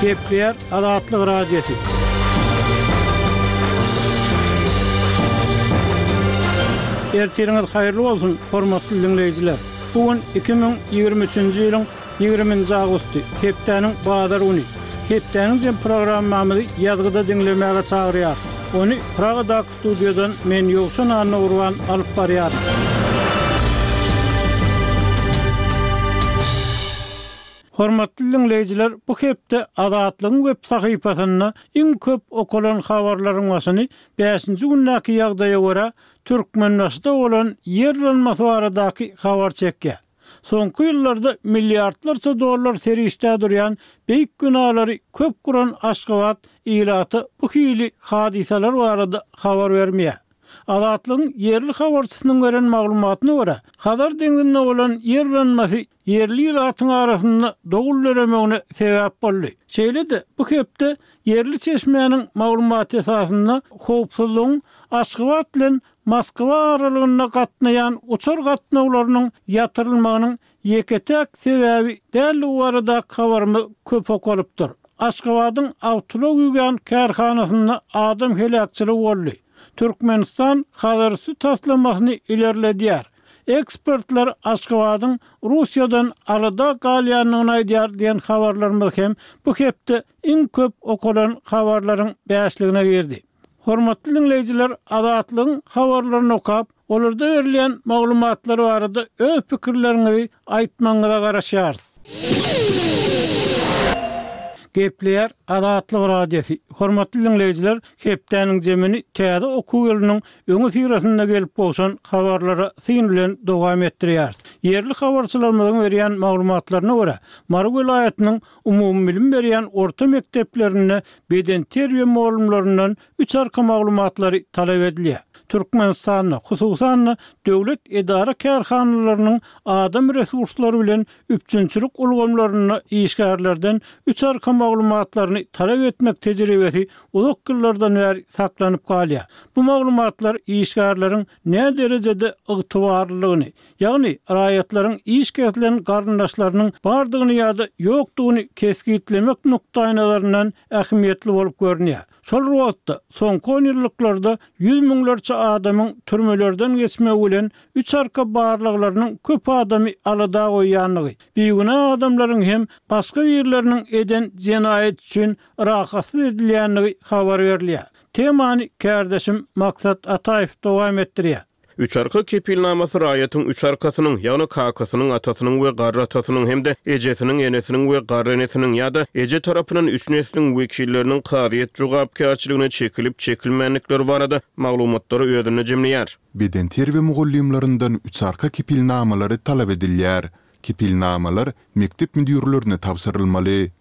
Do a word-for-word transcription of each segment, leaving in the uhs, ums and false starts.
Gepleýär Azatlyk Radiosy. Ertiriňiz haýyrly bolsun, hormatly diňleýjiler! Bu gün iki müň ýigrimi üçünji ýylyň ýigriminji awgusty, hepdäniň bazar güni. Hepdäniň jem programmamyzy ýazgyda diňlemäge çagyrýarys. Ony Pragadaky studiýadan men Ýowşan Annagurban alyp barýaryn. Hormatly diňleýjiler, bu hepde Azatlygyň web sahypasynda iň köp okalan habarlaryň başyny bäşinji gündäki ýagdaýa görä Türkmenbaşyda bolan ýer yranmasy baradaky habar çekýär. Soňky ýyllarda milliardlarça dollar serişdä durýan beýik binalary köp guran Aşgabat ilata bu hili hadysalar barada habar bermeýär. Azatlygyň ýerli habarçysynyň beren maglumatyna görä, Hazar deňzinde bolan ýer yranmasy ýerli ilatyň arasynda dowul döremegine sebäp boldy. Şeýle-de, bu hepde ýerli çeşmäniň maglumaty esasynda howpsuzlygyň Aşgabat bilen Moskwa aralygynda gatnaýan uçar gatnawlarynyň ýatyrylmagynyň ýeke-täk sebäbi däldigi baradaky habarymyz köp okalypdyr. Aşgabadyň awtoulag ýuwýan kärhanasynda adam heläkçiligi boldy. Türkmenistan Hazarüsti taslamasyny ilerledýär. Ekspertler Aşgabadyň Russiýadan alada galýandygyny aýdýar diýen habarlarymyz hem bu hepde iň köp okalan habarlaryň bäşligine girdi. Hormatly diňleýjiler, Azatlygyň habarlaryny okap, olarda berilýän maglumatlar barada öz pikirleriňizi aýtmagyňyza garaşýarys. Gepleýär Azatlyk Radiosy. Hormatly diňleýjiler, hepdäniň jemini täze okuw ýylynyň öňüsyrasynda gelip gowşan habarlara syn bilen dowam etdirýäris. Ýerli habarçylarymyzyň berýän maglumatlaryna görä, Mary welaýatynyň umumybilim berýän orta mekdeplerinde bedenterbiýe mugallymlaryndan üç arka maglumatlary talap edilýär. Türkmenistanda, hususan-da, döwlet edara-kärhanalarynyň adam resurslary bilen üpjünçilik ulgamlarynda işgärlerden üç arka maglumatlaryny talap etmek tejribesi uzak ýyllardan bäri saklanyp galýar. Bu maglumatlar işgärleriň näderejede ygtybarlylygyny, ýagny raýatlaryň iş kesilen garyndaşlarynyň bardygyny ýa-da ýokdugyny kesgitlemek nukdaýnazaryndan ähmiýetli bolup görünýär. Şol bir wagtda, soňky onýyllyklarda ýüz müňlerçe adamyň türmelerden geçmegi bilen üç arka barlaglarynyň köp adamy alada goýýandygy, bigünä adamlaryň hem başga birleriniň eden jenaýaty üçin rahatsyz edilýändigi habar berilýär. Temany kärdeşim Maksat Ataýew dowam etdirýär. Üç arka kepilnamasy raýatyň üç arkasynyň, ýagny kakasynyň, atasynyň we garry atasynyň hem-de ejesiniň, enesiniň we garry enesiniň ýa-da eje tarapyndan üç nesliň wekilleriniň kazyýet jogapkärçiligine çekilip-çekilmändikleri barada maglumatlary özünde jemleýär. Bedenterbiýe mugallymlaryndan üç arka kepilnamalary talap edilýär. Kepilnamalar mekdep müdirlerine tabşyrylmaly.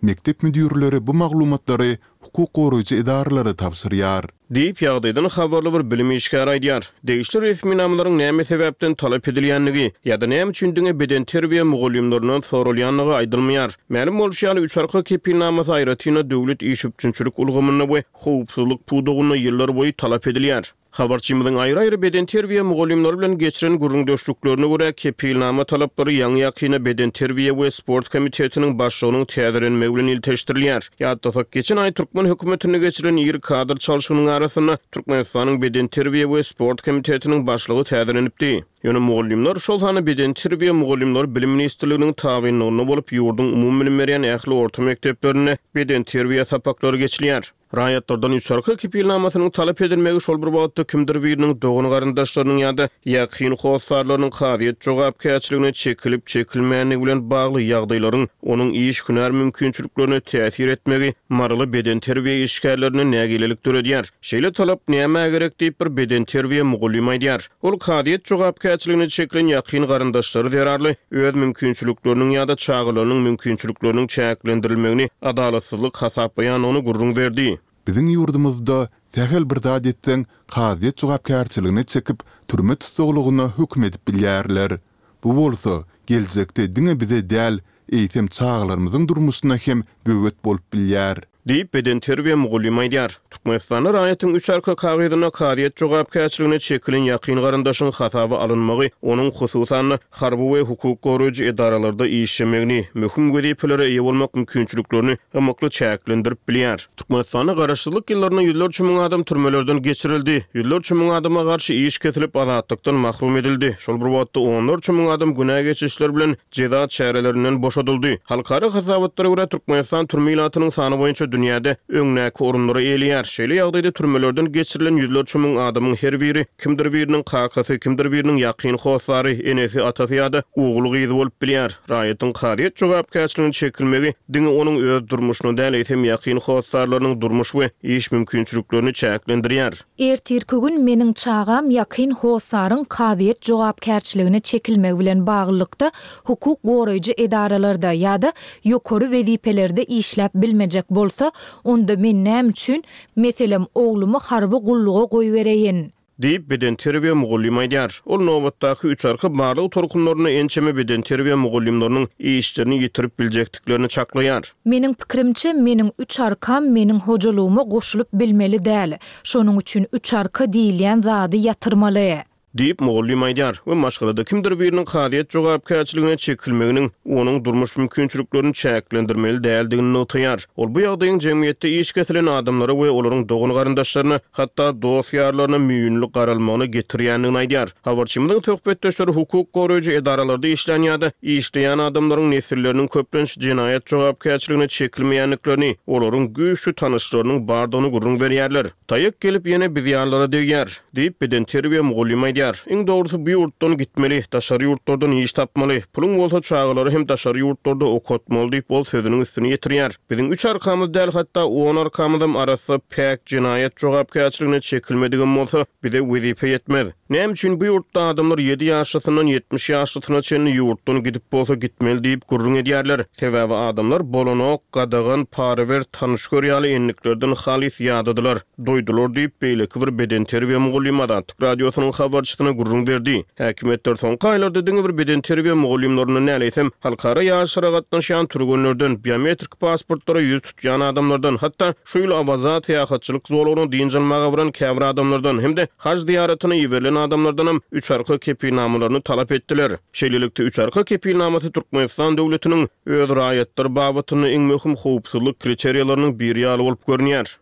Mekdep müdirleri bu maglumatlary hukuk goraýjy edaralara tabşyrýar. Diýip, ýagdaýdan habarly bir bilim işgäri aýdýar. Degişli resminamalaryň näme sebäpden talap edilýändigi ýa-da näme üçin diňe bedenterbiýe mugallymlaryndan soralýandygy aýdylmaýar. Mälim bolşy ýaly, üç arka kepilnamasy aýratyn-da döwlet iş üpjünçilik ulgamynda we howpsuzlyk pudagynda ýyllarboýy talap edilýär. Habarçymyzyň aýry-aýry bedenterbiýe mugallymlary bilen geçiren gürrüňdeşliklerine görä, kepilnama talaplary ýaňy-ýakynda Bedenterbiýe we sport komitetiniň başlygynyň täzelenmegi bilen ilteşdirilýär. Ýatlasak, geçen aý türkmen hökümetinde geçirilen iri kadr çalşygynyň arasynda Türkmenistanyň Bedenterbiýe we sport komitetiniň başlygy täzelenipdi. Ýöne mugallymlar, şol sanda bedenterbiýe mugallymlary Bilim ministrliginiň tabynlygynda bolup, ýurduň umumybilim berýän ähli orta mekdeplerinde bedenterbiýe sapaklary geçilýär. Raýatlardan üçarka kepilnamasynyň talap edilmegi şol bir wagtda kimdir biriniň dogan-garyndaşlarynyň ýa-da ýakyn hossarlarynyň kazyýet jogapkärçiligine çekilip-çekilmändigi bilen bagly ýagdaýlaryň onuň iş-hünär mümkinçiliklerine täsir etmegi maryly bedenterbiýe işgärlerinde nägilelik döredýär. Şeýle talap nämä gerek diýip, bir bedenterbiýe mugallymy aýdýar. Ol kazyýet jogapkärçiligine çekilen ýakyn garyndaşlary zerarly öz mümkinçilikleriniň ýa-da çagalarynyň mümkinçilikleriniň çäklendirilmegini adalatsyzlyk hasaplaýandygyny gürrüň berdi. Biziň ýurdumyzda sähel bir zat etseň, kazyýet jogapkärçiligine çekip, türme tussaglygyna höküm edip bilýärler. Bu bolsa, geljekde diňe bize däl, eýsem çagalarymyzyň durmuşyna hem böwet bolup bilýär. Diýip, bedenterbiýe mugallymy aýdýar. Türkmenistanda raýatyň üç arka kagyzynda kazyýet jogapkärçiligine çekilen ýakyn garyndaşyň hasaba alynmagy onuň, hususan-da, harby we hukuk goraýjy edaralarda işlemegini, möhüm wezipelere eýe bolmak mümkinçiliklerini ymykly çäklendirip bilýär. Türkmenistanda garaşsyzlyk ýyllarynda ýüzlerçe müň adam türmelerden geçirildi, ýüzlerçe müň adama garşy iş kesilip, azatlykdan mahrum edildi. Şol bir wagtda, onlarça müň adam günä geçişler bilen jeza çärelerinden boşadyldy. Halkara hasabatlara görä, Türkmenistan türme ilatynyň sany boýunça dünýäde öňdäki orunlary eýeleýär. Şeýle ýagdaýda türmelerden geçirilen ýüzlerçe müň adamyň her biri kimdir biriniň kakasy, kimdir biriniň ýakyn hossary, enesi, atasy ýa-da ogly-gyzy bolup bilýär. Raýatyň kazyýet jogapkärçiligine çekilmegi diňe onuň öz durmuşyny däl, eýsem ýakyn hossarlarynyň durmuş we iş mümkinçiliklerini çäklendirýär. Ertirki gün meniň çagam ýakyn hossaryň kazyýet jogapkärçiligine çekilmegi bilen baglylykda hukuk goraýjy edaralarda ýa-da ýokary wezipelerde işläp bilmejek bolsa, onda men näme üçin, meselem, oglumy harby gulluga goýbereýin? Diýip, bedenterbiýe mugallymy aýdýar. Ol nobatdaky üç arka barlag tolkunlarynda ençeme bedenterbiýe mugallymlarynyň işlerini ýitirip biljekdiklerini çaklaýar. Meniň pikirimçe, meniň üç arkam meniň hojalygyma goşulyp bilmeli däl. Şonuň üçin üç arka diýilýän zady ýatyrmaly. Diýip, mugallym aýdýar we maşgalada kimdir biriniň kazyýet jogapkärçiligine çekilmeginiň onuň durmuş mümkinçiliklerini çäklendirmeli däldigini nygtaýar. Ol bu ýagdaýyň jemgyýetde iş kesilen adamlara we olaryň dogan-garyndaşlaryna, hatda dost-ýarlaryna müýnli garalmagyna getirýändigini aýdýar. Habarçymyzyň söhbetdeşleri hukuk goraýjy edaralarda işlän ýa-da işleýän adamlaryň nesilleriniň köplenç jenaýat jogapkärçiligine çekilmeýändiklerini, olaryň güýçli tanyşlarynyň bardygyny gürrüň berýärler. Taýak gelip ýene biz ýalylara degýär, diýip, bedenterbiýe mugallymy aýdýar. Iň dogrusy bu ýurtdan gitmeli, daşary ýurtlardan iş tapmaly, puluň bolsa çagalary hem daşary ýurtlarda okatmaly diýip, ol sözüniň üstüni ýetirýär. Biziň üç arkamyz däl, hatda on arkamyzam arassa, päk, jenaýat jogapkärçiligine çekilmedigem bolsa, bize wezipe ýetmez. Näme üçin bu ýurtda adamlar ýedi ýaşlysyndan ýetmiş ýaşlysyna çenli ýurtdan gidip bolsa gitmeli diýip gürrüň edýärler? Sebäbi adamlar bolanok, gadagan, para ber, tanyş gör ýaly endiklerden halys ýadadylar, doýdular diýip, beýleki bir bedenterbiýe mugallymy Azatlyk Radiosynyň habarçysyna gürrüň berdi. Häkimiýetler soňky aýlarda diňe bir bedenterbiýe mugallymlaryndan däl, eýsem, halkara ýaryşlara gatnaşýan türgenlerden, biometrik pasportlara ýüz tutýan adamlardan, hatda şu ýyl Awaza syýahatçylyk zolagyna dynç almaga baran käbir adamlardan hem-de haj zyýaratyna iberilen adamlardanam üç arka kepilnamalaryny talap etdiler. Şeýlelikde, üç arka kepilnamasy Türkmenistan döwletiniň öz raýatlary babatynda iň möhüm howpsuzlyk kriteriýalarynyň biri ýaly bolup görünýär.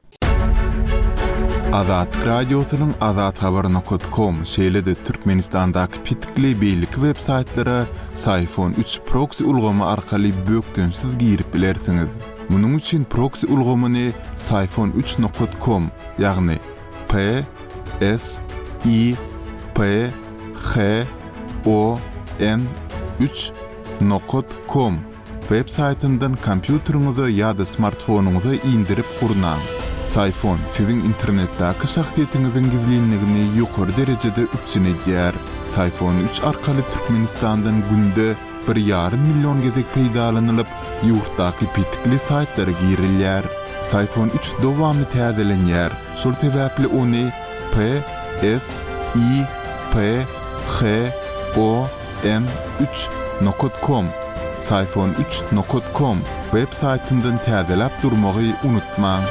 Azatlyk Radiosynyň azathabar nokat kom, şeýle-de Türkmenistandaky petikli beýleki web saýtlara Syfon üç proksi ulgamy arkaly bökdençsiz girip bilersiňiz. Munuň üçin proksi ulgamyny Syfon üç nokat kom, ýagny P S I P H O N üç nokat kom web saýtyndan kompýuteriňize ýa-da smartfonyňyza indirip gurnaň. Syfon siziň internetdäki şahsyýetiňiziň gizlinligini ýokary derejede üpjün edýär. Syfon üç arkaly Türkmenistandan günde bir ýarym million gezek peýdalanylyp, ýurtdaky petikli saýtlara girilýär. Syfon üç dowamly täzelenýär, şol sebäpli ony P S I P H O N üç nokat kom, Syfon üç nokat kom web saýtyndan täzeläp durmagy unutmaň.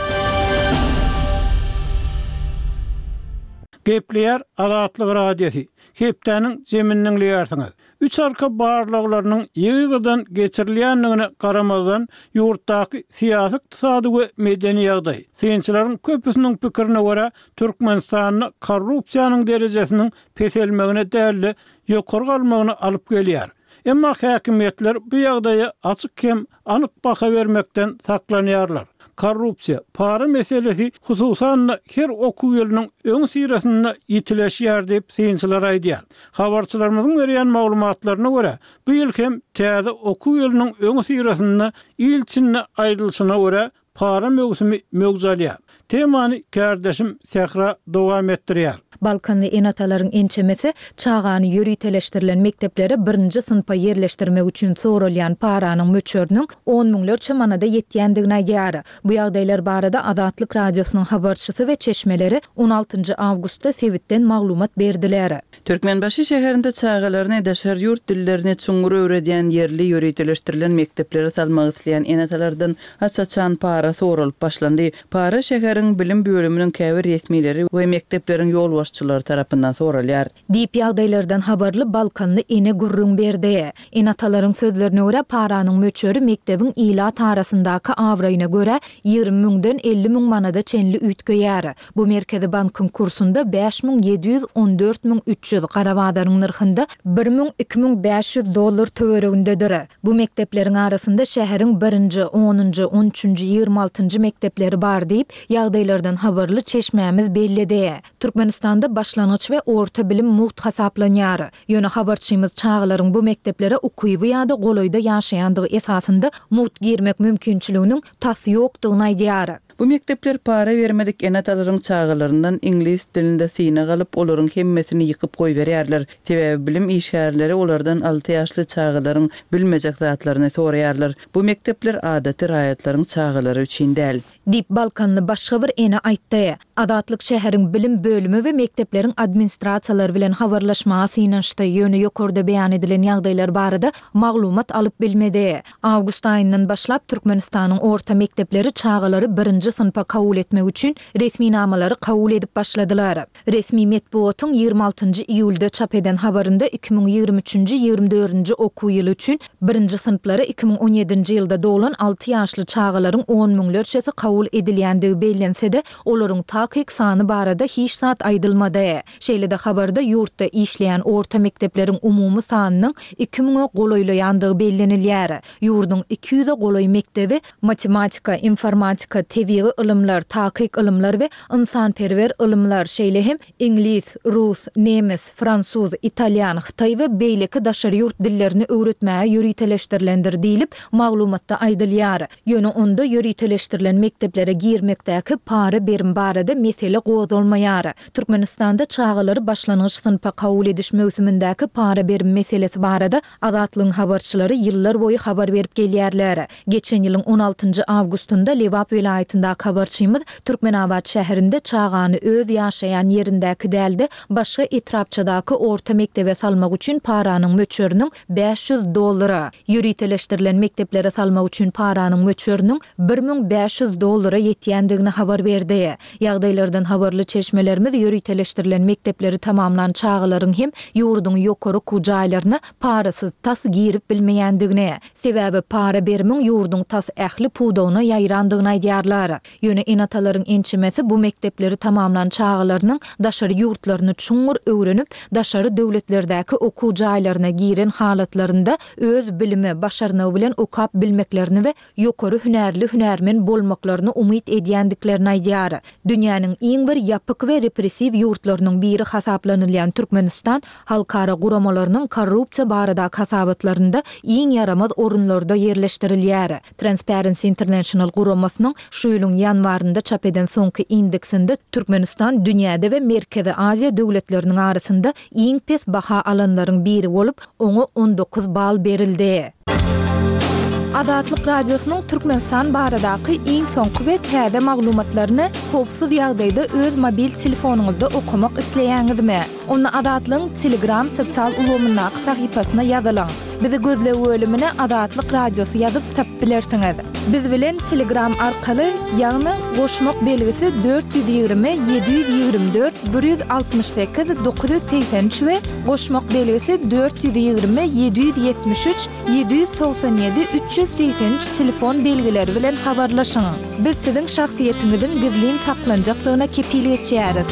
Gepleýär Azatlyk Radiosy. Hepdäniň jemini diňleýärsiňiz. Üç arka barlaglarynyň ýygy-ýygydan geçirilýändigine garamazdan, ýurtdaky syýasy-ykdysady we medeni ýagdaý, synçylaryň köpüsiniň pikirine görä, Türkmenistanda korrupsiýanyň derejesiniň peselmegine däl-de, ýokary galmagyna alyp gelýär. Emma häkimiýetler bu ýagdaýa açyk hem anyk baha bermekden saklanýarlar. Korrupsiýa, para meselesi hususan-da her okuw ýylynyň öňüsyrasynda ýitileşýär diýip, synçylar aýdýar. Habarçylarymyzyň berýän maglumatlaryna görä, bu ýyl hem täze okuw ýylynyň öňüsyrasynda il içinde aýdylyşyna görä, para möwsümi möwç alýar. Temany kärdeşim Sähra dowam etdirýär. Balkanly ene-atalaryň ençemesi çagany ýöriteleşdirilen mekdeplere birinji synpa ýerleşdirmek üçin soralýan paranyň möçberiniň on müňlerçe manada ýetýändigini aýdýar. Bu ýagdaýlar barada Azatlyk Radiosynyň habarçysy we çeşmeleri on altynjy awgustda sebitden maglumat berdiler. Türkmenbaşy şäherinde çagalaryny daşary ýurt dillerini çuňňur öwredýän ýerli ýöriteleşdirilen mekdeplere salmak isleýän ene-atalardan aç-açan para soralyp başlandy. Para şäheriň bilim bölüminiň käbir resmileri we mekdepleriň ýolbaşçylary tarapyndan soralýar. Diýip ýagdaýlardan habarly Balkanly ene gürrüň berdi. Ene-atalaryň sözlerine görä paranyň möçberi mekdebiň ilat arasyndaky abraýyna görä ýigrimi müňden elli müň manada çenli üýtgeýär. Bu Merkezi bankyň kursunda bäş müň ýedi ýüz on dört müň üç ýüz, gara bazaryň nyrhynda bir müň iki müň bäş ýüz dollar töweregindedir. Bu mekdepleriň arasynda şäheriň birinji, onunjy, on üçünji, ýigrimi altynjy mekdepleri bar diýip, ýagdaýlardan habarly çeşmämiz belledi. Türkmenistanda başlangyç we orta bilim mugt hasaplanýar. Ýöne habarçymyz çagalaryň bu mekdeplere ukyby ýa-da golaýda ýaşaýandygy esasynda mugt girmek mümkinçiliginiň tas ýokdugyny aýdýar. Bu mekdepler para bermedik ene-atalaryň çagalaryndan iňlis dilinde synag alyp, olaryň hemmesini ýykyp goýberýärler. Sebäbi bilim işgärleri olardan alty ýaşly çagalaryň bilmejek zatlaryny soraýarlar. Bu mekdepler adaty raýatlaryň çagalary üçin däl. Diýip, Balkanly başga bir ene aýtdy. Azatlyk şäheriň bilim bölümi we mekdepleriň administrasiýalary bilen habarlaşmaga synanyşdy, ýöne ýokarda beýan edilen ýagdaýlar barada maglumat alyp bilmedi. Awgust aýyndan başlap Türkmenistanyň orta mekdepleri çagalary birinji synpa kabul etmek üçin resminamalary kabul edip başladylar. Resmi metbugatyň ýigrimi altynjy iýulda çap eden habarynda iki müň ýigrimi üçünji, ýigrimi dördünji okuw ýyly üçin birinji synplara iki müň on ýedinji ýylda doglan alty ýaşly çagalaryň on müňlerçesi kabul edilýändigi bellense-de, olaryň takyk sany barada hiç zat aýdylmady. Şeýle-de habarda ýurtda işleýän orta mekdepleriň umumy sanynyň iki müňe golaýlaýandygy bellenilýär. Ýurduň iki ýüze golaý mekdebi matematika, informatika, tebigy ylymlar, takyk ylymlar we ynsanperwer ylymlar, şeýle hem iňlis, rus, nemes, fransuz, italýan, hytaý we beýleki daşary ýurt dillerini öwretmäge ýöriteleşdirilendir diýlip, maglumatda aýdylýar. Ýöne onda ýöriteleşdirilen mekdeplere girmekdäki para berim barada mesele gozgalmaýar. Türkmenistanda çagalary başlangyç synpa kabul ediş möwsümindäki para berim meselesi barada Azatlygyň habarçylary ýyllar boýy habar berip gelýärler. Geçen ýylyň on altynjy awgustynda Lebap welaýatyndaky habarçymyz Türkmenabat şäherinde çagany öz ýaşaýan ýerindäki dälde başga etrapçadaky orta mekdebe salmak üçin paranyň möçberiniň bäş ýüz dollara, ýöriteleşdirilen mekdeplere salmak üçin paranyň möçberiniň bir müň bäş ýüz dollara ýetýändigini habar berdi. Ýagdaýlardan habarly çeşmelerimiz ýöriteleşdirilen mekdepleri tamamlan çagalaryň hem ýurduň ýokary okuw jaýlaryna parasyz tas girip bilmeýändigini, sebäbi para berimiň ýurduň tas ähli pudagyna ýaýrandygyny aýdýarlar. Ýöne ene-atalaryň ençemesi bu mekdepleri tamamlan çagalarynyň daşary ýurtlaryny çuňňur öwrenip, daşary döwletlerdäki okuw jaýlaryna giren halatlarynda öz bilimi, başarnygy bilen okap bilmeklerini we ýokary hünärli hünärmen bolmaklaryny umyt edýändiklerini aýdýar. Dünýäniň iň bir ýapyk we repressiw ýurtlarynyň biri hasaplanylýan Türkmenistan halkara guramalarynyň korrupsiýa baradaky hasabatlarynda iň ýaramaz orunlarda ýerleşdirilýär. Transparency International guramasynyň şu ýylyň ýanwarynda çap eden soňky indeksinde Türkmenistan dünýäde we Merkezi Aziýa döwletleriniň arasynda iň pes baha alanlaryň biri bolup, oňa on dokuz bal berildi. Azatlyk Radiosynyň Türkmenistan baradaky iň soňky we täze maglumatlaryny howpsuz ýagdaýda öz mobil telefonyňyzda okamak isleýäňizmi? Onda Azatlygyň Telegram sosial ulgamyndaky sahypasyna ýazylyň. Bizi gözleg bölümine Azatlyk Radiosy ýazyp tapyp bilersiňiz. Biz bilen Telegram arkaly, ýagny goşmak belgisi dört ýüz ýigrimi, ýedi ýüz ýigrimi dört, bir ýüz altmyş sekiz, dokuz ýüz segsen üç we goşmak belgisi dört ýüz ýigrimi, ýedi ýüz ýetmiş üç, ýedi ýüz togsan ýedi, üç ýüz segsen üç telefon belgileri bilen habarlaşyň. Biz siziň şahsyýetiňiziň gizlin saklanjakdygyna kepil geçýäris.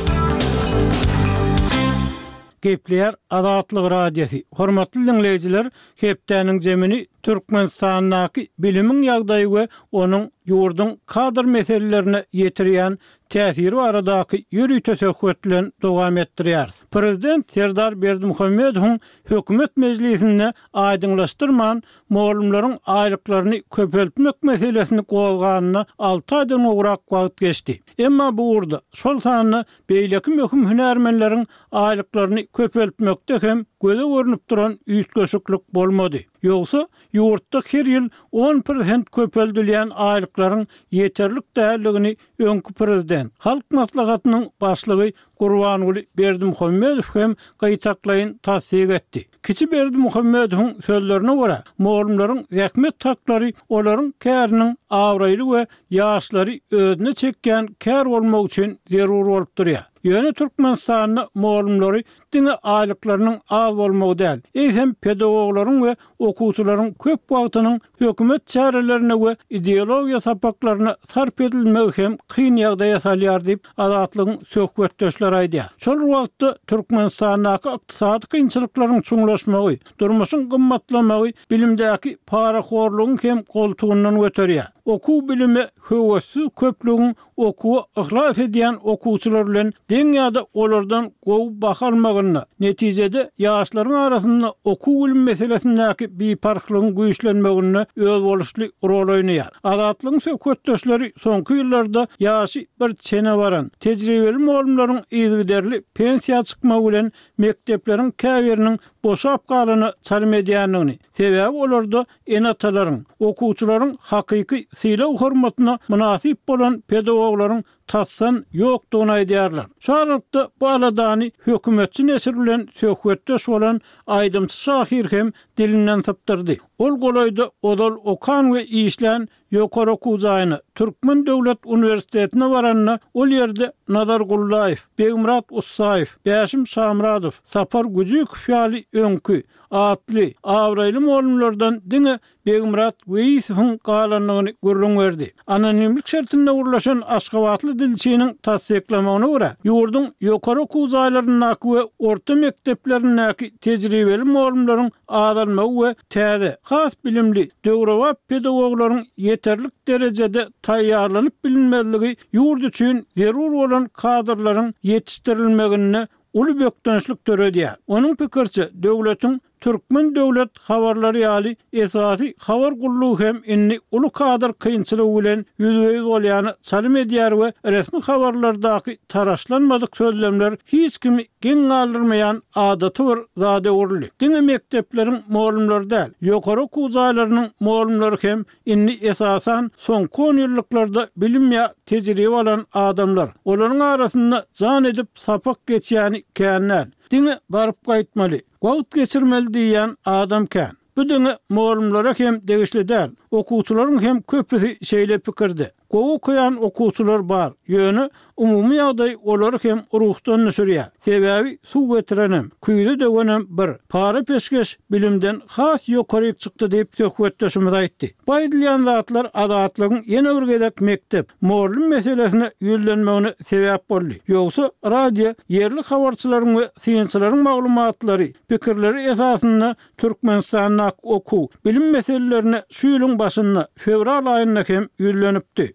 Gepleýär Azatlyk Radiosy. Hormatly dinleýjiler, hepdäniň zemini Türkmenistandaky bilimiň ýagdaýy we onuň ýurduň kadr meselelerine ýetirýän täsiri baradaky ýörite söhbet bilen dowam etdirýäris. Prezident Serdar Berdimuhamedowyň hökümet mejlisinde aýdyňlaşdyrman, mugallymlaryň aýlyklaryny köpeltmek meselesini gozganyna alty aýdan gowrak wagt geçdi. Emma bu ugurda, şol sanda beýleki möhüm hünärmenleriň aýlyklaryny köpeltmekde hem göze görnüp duran üýtgeşiklik bolmady. Ýogsa, ýurtda her ýyl on prosent köpeldilýän aýlyklaryň ýeterlik däldigini öňki prezident, Halk Maslahatynyň Başlygy Gurbanguly Berdimuhamedow hem gytaklaýyn tassyk etdi. Kiçi Berdimuhamedowyň sözlerine görä, mugallymlaryň zähmet haklary olaryň käriniň abraýly we ýaşlary özüne çekýän kär bolmagy üçin zerur bolup durýar. Ýöne Türkmenistanda mugallymlary diňe aýlyklarynyň az bolmagy däl, eýsem pedagoglaryň we okuwçylaryň köp wagtynyň hökümet çärelerine we ideologiýa sapaklaryna sarp edilmegi hem kyn ýagdaýa salýar diýip, Azatlygyň söhbetdeşleri aýdýar. Şol bir wagtda, Türkmenistandaky ykdysady kynçylyklaryň çuňlaşmagy, durmuşyň gymmatlamagy bilimdäki parahorlugyň hem goltugyndan göterýär. Okuw-bilime höwessiz köplügiň okuwa yhlas edýän okuwçylar bilen deň ýa-da olardan gowy baha almagynda, netijede ýaşlaryň arasynda okuw-bilim meselesindäki biparhlygyň güýçlenmeginde özboluşly rol oýnaýar. Azatlygyň söhbetdeşleri soňky ýyllarda ýaşy bir çene baran, tejribeli mugallymlaryň yzygiderli pensiýa çykmagy bilen mekdepleriň käbiriniň boşap galana çalym edýändigini, sebäbi olarda ene-atalaryň, okuwçylaryň hakyky sylag-hormatyna mynasyp bolan pedagoglaryň tasdan ýokdugyny aýdýarlar. Şu aralykda bu aladany hökümetçi neşir bilen söhbetdeş bolan aýdymçy-şahyr hem dilinden sypdyrdy. Ol golaýda ozal okan we işlän ýokary okuw jaýyna, Türkmen döwlet uniwersitetine baranda, ol ýerde Nazar Gullaýew, Begmyrat Ussaýew, Bäşim Şamyradow, Sapar Güjükow ýaly öňki, atly, abraýly mugallymlardan diňe Begmyrat Weýisowyň galandygyny gürrüň berdi. Anonimlik şertinde gürleşen aşgabatly dilçiniň tassyklamagyna görä, ýurduň ýokary okuw jaýlaryndaky we orta mekdeplerindäki tejribeli mugallymlaryň azalmagy we täze, has bilimli, döwrebap pedagoglaryň ýeterlik derejede taýýarlanyp bilinmezligi ýurt üçin zerur bolan kadrlaryň ýetişdirilmeginde uly bökdençlik döredýär. Onuň pikiriçe, döwletiň Türkmen döwlet habarlary ýaly esasy habar gullugy hem indi uly kadr kynçylygy bilen ýüzbe-ýüz bolýana çalym edýär we resmi habarlardaky taraşlanmadyk sözlemler hiç kimi geň galdyrmaýan adaty bir zada öwrüldi. Diňe mekdepleriň mugallymlary däl, ýokary okuw jaýlarynyň mugallymlary hem indi esasan soňky onýyllyklarda bilim ýa tejribe alan adamlar. Olaryň arasynda jan edip sapak geçýäni kän däl. Diňe baryp gaýtmaly, wagt geçirmeli diýýän adam kän. Bu diňe mugallymlara hem degişli däl, okuwçylaryň hem köpüsi şeýle pikirde. Gowy okaýan okuwçylar bar, ýöne umumy ýagdaý olary hem ruhdan düşürýär. Sebäbi suw getirenem, küýze döwenem bir, para-peşgeş bilimden has ýokaryk çykdy diýip, söhbetdeşimiz aýtdy. Bu aýdylýan zatlar Azatlygyň ýene bir gezek mekdep, mugallym meselesine ýüzlenmegine sebäp boldy. Ýogsa, radio ýerli habarçylaryň we synçylaryň maglumatlary, pikirleri esasynda Türkmenistandaky okuw, bilim meselelerine şu ýylyň başynda, fewral aýynda hem ýüzlenipdi.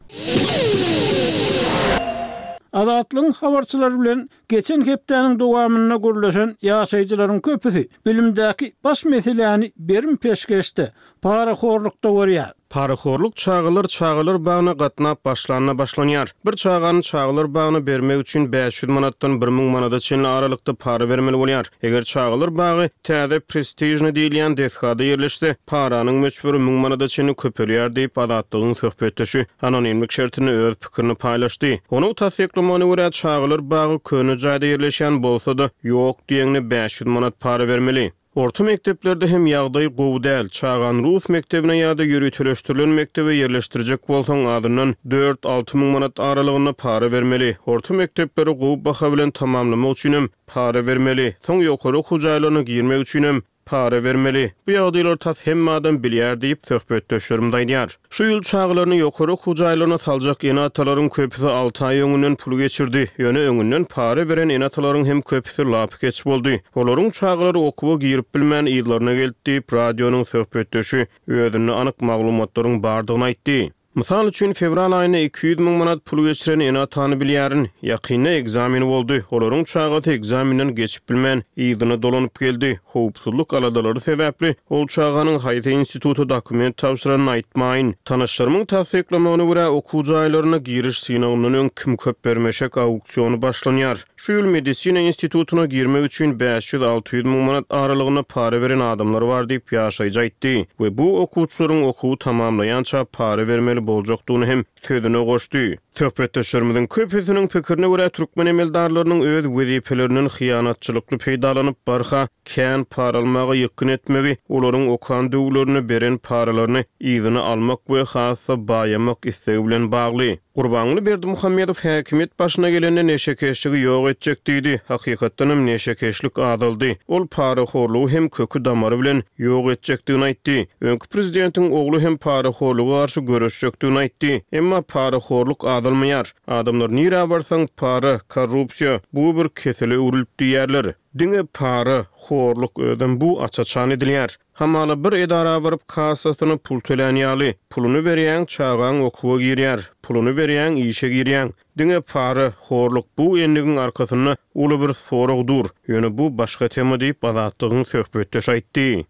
Azatlygyň habarçylary bilen geçen hepdäniň dowamynda gürleşen ýaşaýjylaryň köpüsi bilimdäki baş meseläni berim-peşgeşde, parahorlukda görýär. Parahorluk çagalar çagalar bagyna gatnap başlanda başlanýar. Bir çagany çagalar bagyna bermek üçin bäş ýüz manatdan bir müň manada çenli aralykda para bermeli bolýar. Eger çagalar bagy täze prestižnyý diýilýän desgada ýerleşse, paranyň möçberi müň manada çenli köpelýär diýip, Azatlygyň söhbetdeşi anonimlik şertinde öz pikirini paýlaşdy. Onuň tassyklamagyna görä, çagalar bagy köne jaýda ýerleşýän bolsa-da, ýok diýeňde bäş ýüz manat para bermeli. Orta mekdeplerde hem ýagdaý gowy däl. Çagany rus mekdebine ýa-da ýöriteleşdirilen mekdebe ýerleşdirjek bolsaň, azyndan dört-alty müň manat aralygynda para bermeli. Orta mekdepleri gowy baha bilen tamamlamak üçinem para bermeli. Soň ýokary okuw jaýlaryna girmek üçinem para bermeli. Bu ýagdaýlary tas hemme adam bilýär diýip, söhbetdeşlerimiz aýdýar. Şu ýyl çagalaryny ýokary okuw jaýlaryna saljak ene-atalaryň köpüsi alty aý öňünden pul geçirdi. Ýöne öňünden para beren ene-atalaryň hem köpüsi lapykeç boldy. Olaryň çagalary okuwa girip bilmän yzlaryna geldi diýip, radionyň söhbetdeşi özünde anyk maglumatlaryň bardygyny aýtdy. Mysal üçin, fewral aýynda iki ýüz müň manat pul geçiren ene-atany bilýärin. Ýakynda ekzamen boldy. Olaryň çagasy ekzamenden geçip bilmän, yzyna dolanyp geldi. Howpsuzlyk aladalary sebäpli, ol çaganyň haýsy instituta dokument tabşyranyny aýtmaýyn. Tanyşlarymyň tassyklamagyna görä, okuw jaýlaryna giriş synagyndan öň kim köp bermeşek auksiony başlanýar. Şu ýyl medisina institutyna girmek üçin bäş ýüz-alty ýüz müň manat aralygynda para beren adamlar bar diýip, ýaşaýjy aýtdy we bu okuwçylaryň okuwy tamamlaýança para bermeli boljakdygyny hem sözüne goşdy. Söhbetdeşlerimiziň köpüsiniň pikirine görä, türkmen emeldarlarynyň öz wezipelerinden hyýanatçylykly peýdalanyp, barha kän para almaga ýykgyn etmegi olaryň okan döwürlerinde beren paralaryny yzyna almak we has-da baýamak islegi bilen bagly. Gurbanguly Berdimuhamedow häkimiýet başyna gelende neşekeşligi ýok etjek diýdi. Hakykatdanam neşekeşlik azaldy. Ol parahorlugy hem köki-damary bilen ýok etjekdigini aýtdy. Öňki prezidentiň ogly hem parahorluga garşy göreşjekdigini aýtdy. Emma parahorluk azalmaýar. Adamlar nirä barsaň para, korrupsiýa, bu bir kesele öwrülip diýýärler. Diňe para, horluk özem bu aç-açan edilýär. Hamala bir edara baryp kassasyna pul tölän ýaly. Puluny berýäň çagaň okuwa girýär, puluny berýäň işe girýäň. Diňe para, horluk bu endigiň arkasynda uly bir sorag dur. Ýöne bu başga tema diýip Azatlygyň söhbetdeşi aýtdy.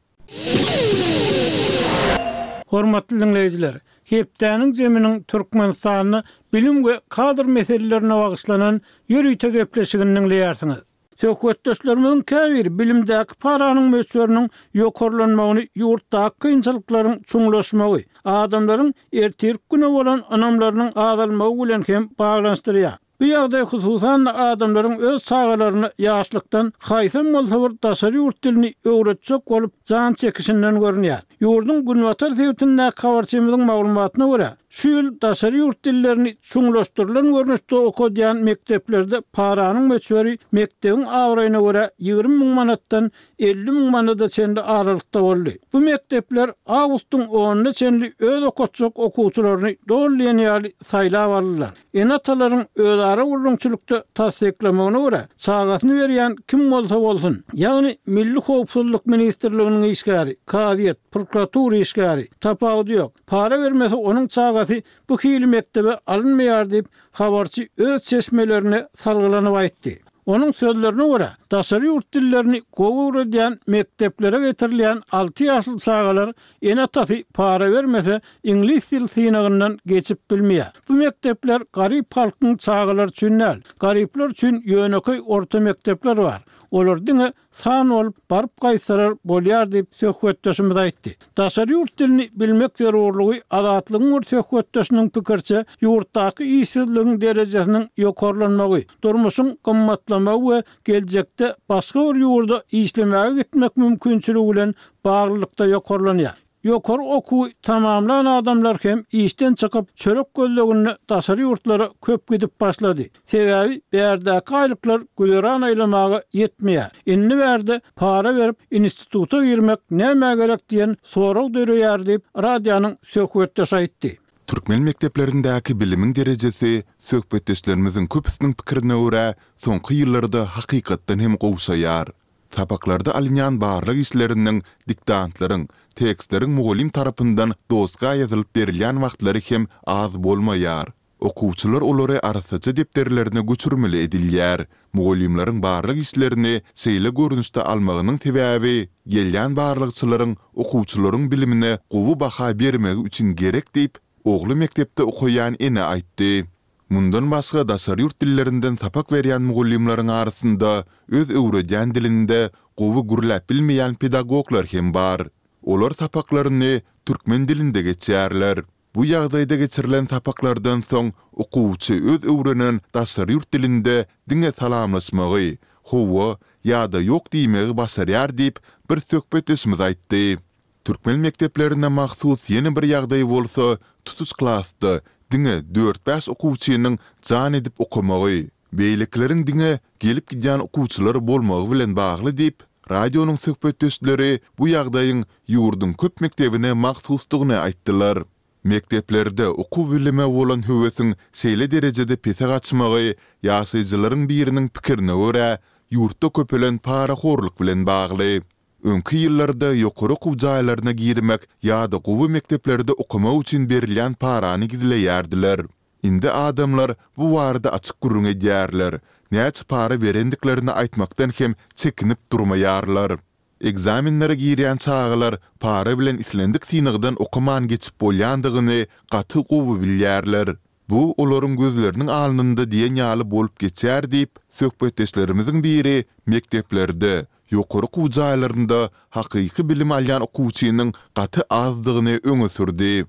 Hormatly diňleýjiler, hepdäniň jeminiň Türkmenistanda bilim we kadr meselelerine bagyşlanan ýörite gepleşigini diňleýärsiňiz. Söhbetdeşlerimiziň käbiri bilimdäki paranyň möçberiniň ýokarlanmagyny ýurtdaky kynçylyklaryň çuňlaşmagy, adamlaryň ertirki güne bolan ynamlarynyň azalmagy bilen hem baglanyşdyrýar. Bu ýagdaý hususan-da adamlaryň öz çagalaryna ýaşlykdan haýsam bolsa bir daşary ýurt dilini öwretjek bolup jan çekişinden görünýär. Ýurduň günbatar sebitindäki habarçymyzyň maglumatyna görä, şu ýyl daşary ýurt dillerini çuňlaşdyrylan görnüşde okadýan mekdeplerde paranyň möçberi mekdebiň abraýyna görä ýigrimi müň manatdan elli müň manada çenli aralykda boldy. Bu mekdepler awgustyň onuna çenli öz okatjak okuwçylaryny doly diýen ýaly saýlap aldylar. Ene-atalaryň özara gürrüňçilikde tassyklamagyna görä, çagasyny berýän kim bolsa bolsun, ýagny Milli howpsuzlyk ministrliginiň işgäri, kazyýet, prokuratura işgäri, tapawudy ýok, para bermese onuň çagasy bu hili mekdebe alynmaýar diýip, habarçy öz çeşmelerine salgylanyp aýtdy. Onuň sözlerine görä, daşary ýurt dillerini gowy öwredýän mekdeplere getirilýän alty ýaşly çagalar ene-atasy para bermese, iňlis dil synagyndan geçip bilmeýär. Bu mekdepler garyp halkyň çagalary üçin däl. Garyplar üçin ýönekeý orta mekdepler bar. Olar diňe san bolup, baryp gaýtsalar bolýar diýip, söhbetdeşimiz aýtdy. Daşary ýurt dilini bilmek zerurlygy Azatlygyň bir söhbetdeşiniň pikiriçe, ýurtdaky işsizligiň derejesiniň ýokarlanmagy, durmuşyň gymmatlamagy we geljekde başga bir ýurda işlemäge gitmek mümkinçiligi bilen baglylykda ýokarlanýar. Ýokary okuwy tamamlan adamlar hem işden çykyp, çörek gözleginde daşary ýurtlara köp gidip başlady. Sebäbi bärdäki aýlyklar güzeran aýlamaga ýetmeýär. Indi bärde para berip instituta girmek nämä gerek diýen sorag döreýär diýip, radionyň söhbetdeşi aýtdy. Türkmen mekdeplerindäki bilimiň derejesi, söhbetdeşlerimiziň köpüsiniň pikirine görä, soňky ýyllarda hakykatdan hem gowşaýar. Sapaklarda alynýan barlag işleriniň, diktantlaryň, tekstleriň mugallym tarapyndan doska ýazylyp berilýän wagtlary hem az bolmaýar. Okuwçylar olary arassaja depderlerine göçürmeli edilýär. Mugallymlaryň barlag işlerini şeýle görnüşde almagynyň sebäbi, gelýän barlagçylaryň okuwçylaryň bilimine gowy baha bermegi üçin gerek diýip, ogly mekdepde okaýan ene aýtdy. Mundan başga daşary ýurt dillerinden sapak berýän mugallymlaryň arasynda öz öwredýän dilinde gowy gürläp bilmeýän pedagoglar hem bar. Olar sapaklaryny türkmen dilinde geçýärler. Bu ýagdaýda geçirilen sapaklardan soň okuwçy öz öwrenen daşary ýurt dilinde diňe salamlaşmagy, hawa ýa-da ýok diýmegi başarýar diýip, bir söhbetdeşimiz aýtdy. Türkmen mekdeplerine mahsus ýene bir ýagdaý bolsa, tutuş klasda diňe dört-bäş okuwçynyň jan edip okamagy, beýlekileriň diňe gelip-gidýän okuwçylar bolmagy bilen bagly diýip, radionyň söhbetdeşleri bu ýagdaýyň ýurduň köp mekdebine mahsusdygyny aýtdylar. Mekdeplerde okuw-bilime bolan höwesiň şeýle derejede pese gaçmagy, ýaşaýjylaryň biriniň pikirine görä, ýurtda köpelen parahorluk bilen bagly. Öňki ýyllarda ýokary okuw jaýlaryna girmek ýa-da gowy mekdeplerde okamak üçin berilýän parany gizleýärdiler. Indi adamlar bu barada açyk gürrüň edýärler, näçe para berendiklerini aýtmakdan hem çekinip durmaýarlar. Ekzamenlere girýän çagalar para bilen islendik synagdan okaman geçip bolýandygyny gaty gowy bilýärler. Bu olaryň gözleriniň alnynda diýen ýaly bolup geçýär diýip, söhbetdeşlerimiziň biri mekdeplerde, ýokary okuw jaýlarynda hakyky bilim alýan okuwçynyň gaty azdygyny öňe sürdi.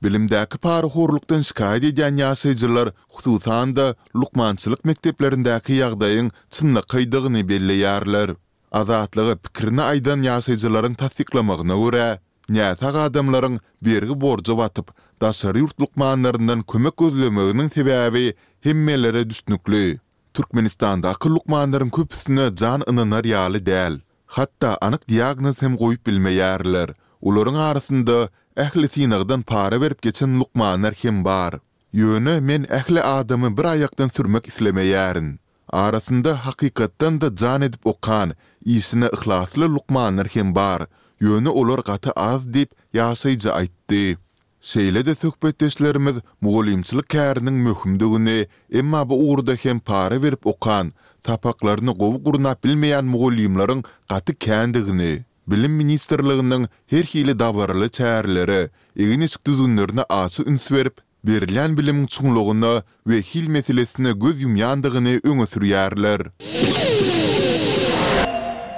Bilimdäki parahorlukdan şikaýat edýän ýaşaýjylar, hususan-da, lukmançylyk mekdeplerindäki ýagdaýyň çynlakaýdygyny belleýärler. Azatlyga pikirini aýdan ýaşaýjylaryň tassyklamagyna görä, näsag adamlaryň bergi-borja batyp, daşary ýurt lukmanlaryndan kömek gözlemeginiň sebäbi hemmelere düşnükli. Türkmenistandaky lukmanlaryň köpüsine jan ynanar ýaly däl. Hatda anyk diagnoz hem goýup bilmeýärler. Olaryň arasynda ähli synagdan para berip geçen lukmanlar hem bar. Ýöne men ähli adamy bir aýakdan sürmek islemeýärin. Arasynda hakykatdan-da jan edip okan, işine yhlasly lukmanlar hem bar, ýöne olar gaty az diýip, ýaşaýjy aýtdy. Şeýle-de söhbetdeşlerimiz mugallymçylyk käriniň möhümdigini, emma bu ugurda hem para berip okan, sapaklaryny gowy gurnap bilmeýän mugallymlaryň gaty kändigini, Bilim ministrliginiň her hili dabaraly çärelere, egin-eşik düzgünlerine aşa üns berip, berilýän bilimiň çuňlugyna we hil meselesine göz ýumýandygyny öňe sürýärler.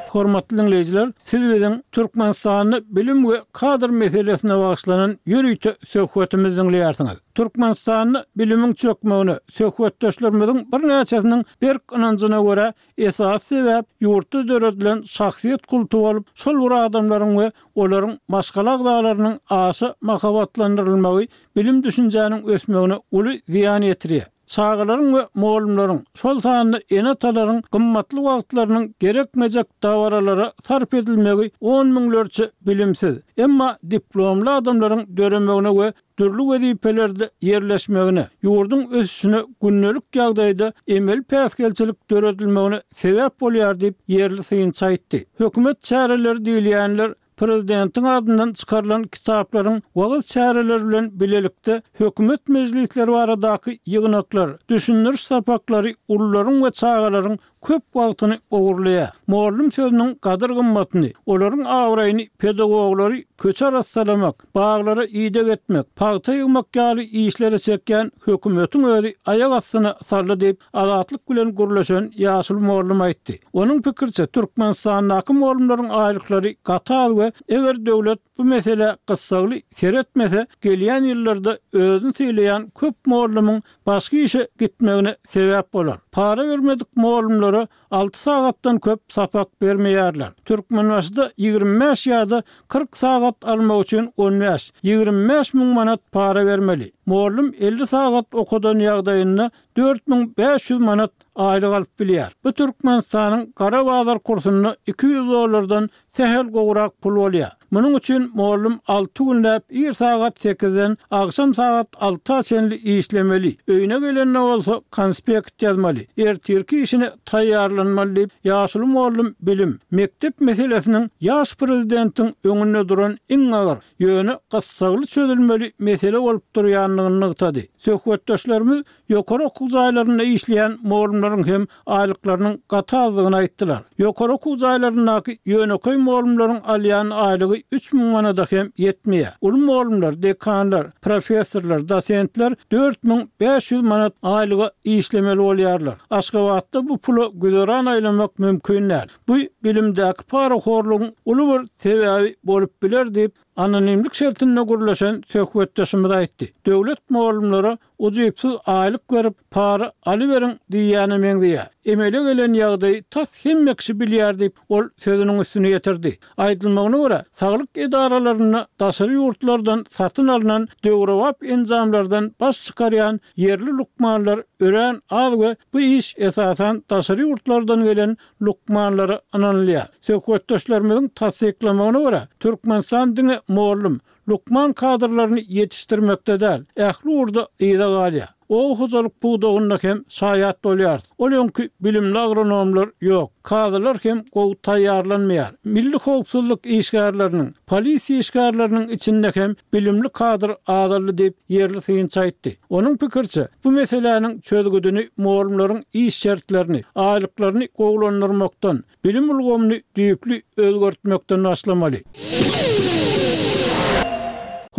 Hormatly diňleýjiler, siz biziň Türkmenistanda bilim we kadr meselesine bagyşlanan ýörite söhbetimizi diňleýärsiňiz. Türkmenistanda bilimiň çökmegine söhbetdeşlerimiziň birnäçesiniň berk ynanjyna görä Esasy sebäp ýurtda döredilen şahsyýet kulty bolup, şol bir adamlaryň we olaryň maşgala agzalarynyň aşa mahabatlandyrylmagy bilim-düşünjäniň ösmegine uly zyýan ýetirýär. Çagalaryň we mugallymlaryň, şol sanda ene-atalaryň gymmatly wagtlarynyň gerekmejek dabaralara sarp edilmegi on müňlerçe bilimsiz, emma diplomly adamlaryň döremegine we dürli wezipelerde ýerleşmegine, ýurduň ösüşine gündelik ýagdaýda emeli päsgelçilik döredilmegine sebäp bolýar diýip, ýerli synçy aýtdy. Hökümet çäreleri diýilýänler prezidentiň adyndan çykarylan kitaplaryň wagyz çäreleri bilen bilelikde hökümet mejlisleri baradaky ýygnaklar, düşündiriş sapaklary ulularyň we çagalaryň köp wagtyny ogurlaýar. Mugallym sözüniň gadyr-gymmatyny, olaryň abraýyny pedagoglary köçe arassalamak, baglara ideg etmek, pagta ýygmak ýaly işlere çekýän hökümetiň özi aýak astyna saldy diýip, Azatlyk bilen gürleşen ýaşuly mugallym aýtdy. Onuň pikiriçe, Türkmenistandaky mugallymlaryň aýlyklary gaty az we eger döwlet bu meselä gyssagly seretmese, gelýän ýyllarda özüni sylaýan köp mugallymyň başga işe gitmegine sebäp bolar. Para bermedik mugallymlara alty sagatdan köp sapak bermeýärler. Türkmenbaşyda ýigrimi bäş ýa-da kyrk sagat almak üçin on bäş, ýigrimi bäş müň manat para bermeli. Mugallym elli sagat okadan ýagdaýynda dört müň bäş ýüz manat aýlyk alyp bilýär. Bu Türkmenistanyň gara bazar kursunda iki ýüz dollardan sähel gowrak pul bolýar. Munuň üçin mugallym alty günläp ir sagat sekizden agşam sagat alta çenli işlemeli, öýüne gelende bolsa konspekt ýazmaly, ertirki işine taýýarlanmaly diýip, ýaşuly mugallym bilim, mekdep meselesiniň ýaş prezidentiň öňünde duran iň agyr, ýöne gyssagly çözülmeli mesele bolup durýandygyny nygtady. Söhbetdeşlerimiz Ýokary okuw jaýlarynda işleýän mugallymlaryň hem aýlyklarynyň gaty azdygyny aýtdylar. Ýokary okuw jaýlaryndaky ýönekeý mugallymlaryň alýan aýlygy üç müň manada hem ýetmeýär. Uly mugallymlar, dekanlar, professorlar, dosentler dört müň bäş ýüz manat aýlyga işlemeli bolýarlar. Aşgabatda bu pula güzeran aýlamak mümkin däl. Bu bilimdäki parahorlugyň uly bir sebäbi bolup biler diýip, anonimlik şertinde gürleşen söhbetdeşimiz aýtdy. Döwlet mugallymlara ujypsyz aýlyk berip, para alyberiň diýýäne meňzeýär. Emele gelen ýagdaýy tas hemme kişi bilýär diýip, ol sözüniň üstüni ýetirdi. Aýdylmagyna görä, saglyk edaralarynda daşary ýurtlardan satyn alnan döwrebap enjamlardan baş çykarýan ýerli lukmanlar örän az we bu iş esasan daşary ýurtlardan gelen lukmanlara ynanylýar. Söhbetdeşlerimiziň tassyklamagyna görä, Türkmenistan diňe mugallym, Lukman kadrlaryny ýetişdirmekde däl, ähli ugurda yza galýar. Oba hojalyk pudagynda hem şaýat bolýarys. Ol öňki bilimli agronomlar ýok, kazylar hem gowy taýýarlanmaýar. Milli howpsuzlyk işgärleriniň, polisiýa işgärleriniň içinde hem bilimli kadr azaldy diýip, ýerli synçy aýtdy. Onuň pikiriçe, bu meseläniň çözgüdini mugallymlaryň iş şertlerini, aýlyklaryny gowulandyrmakdan, bilim ulgamyny düýpli özgertmekden başlamaly.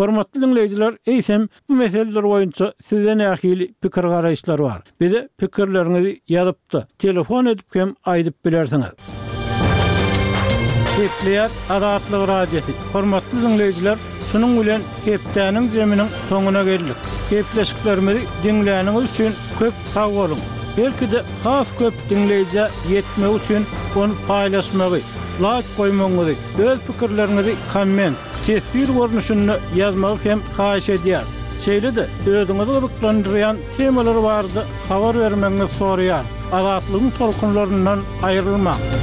Hormatly diňleýjiler, eýsem, bu meseleler boýunça sizde nähili pikir-garaýyşlar bar? Bize pikirleriňizi ýazyp-da, telefon edip hem aýdyp bilersiňiz. Gepleýär Azatlyk Radiosy. Hormatly diňleýjiler, şunuň bilen hepdäniň jeminiň soňuna geldik. Gepleşiklerimizi diňläniňiz üçin köp sag boluň! Belki-de has köp diňleýjä ýetmegi üçin ony paýlaşmagy, laýk goýmagyňyzy, öz pikirleriňizi komment, teswir görnüşinde ýazmagy hem haýyş edýäris. Şeýle-de özüňizi gyzyklandyrýan temalar barada habar bermegiňizi soraýarys. Azatlygyň tolkunlaryndan aýrylmaň!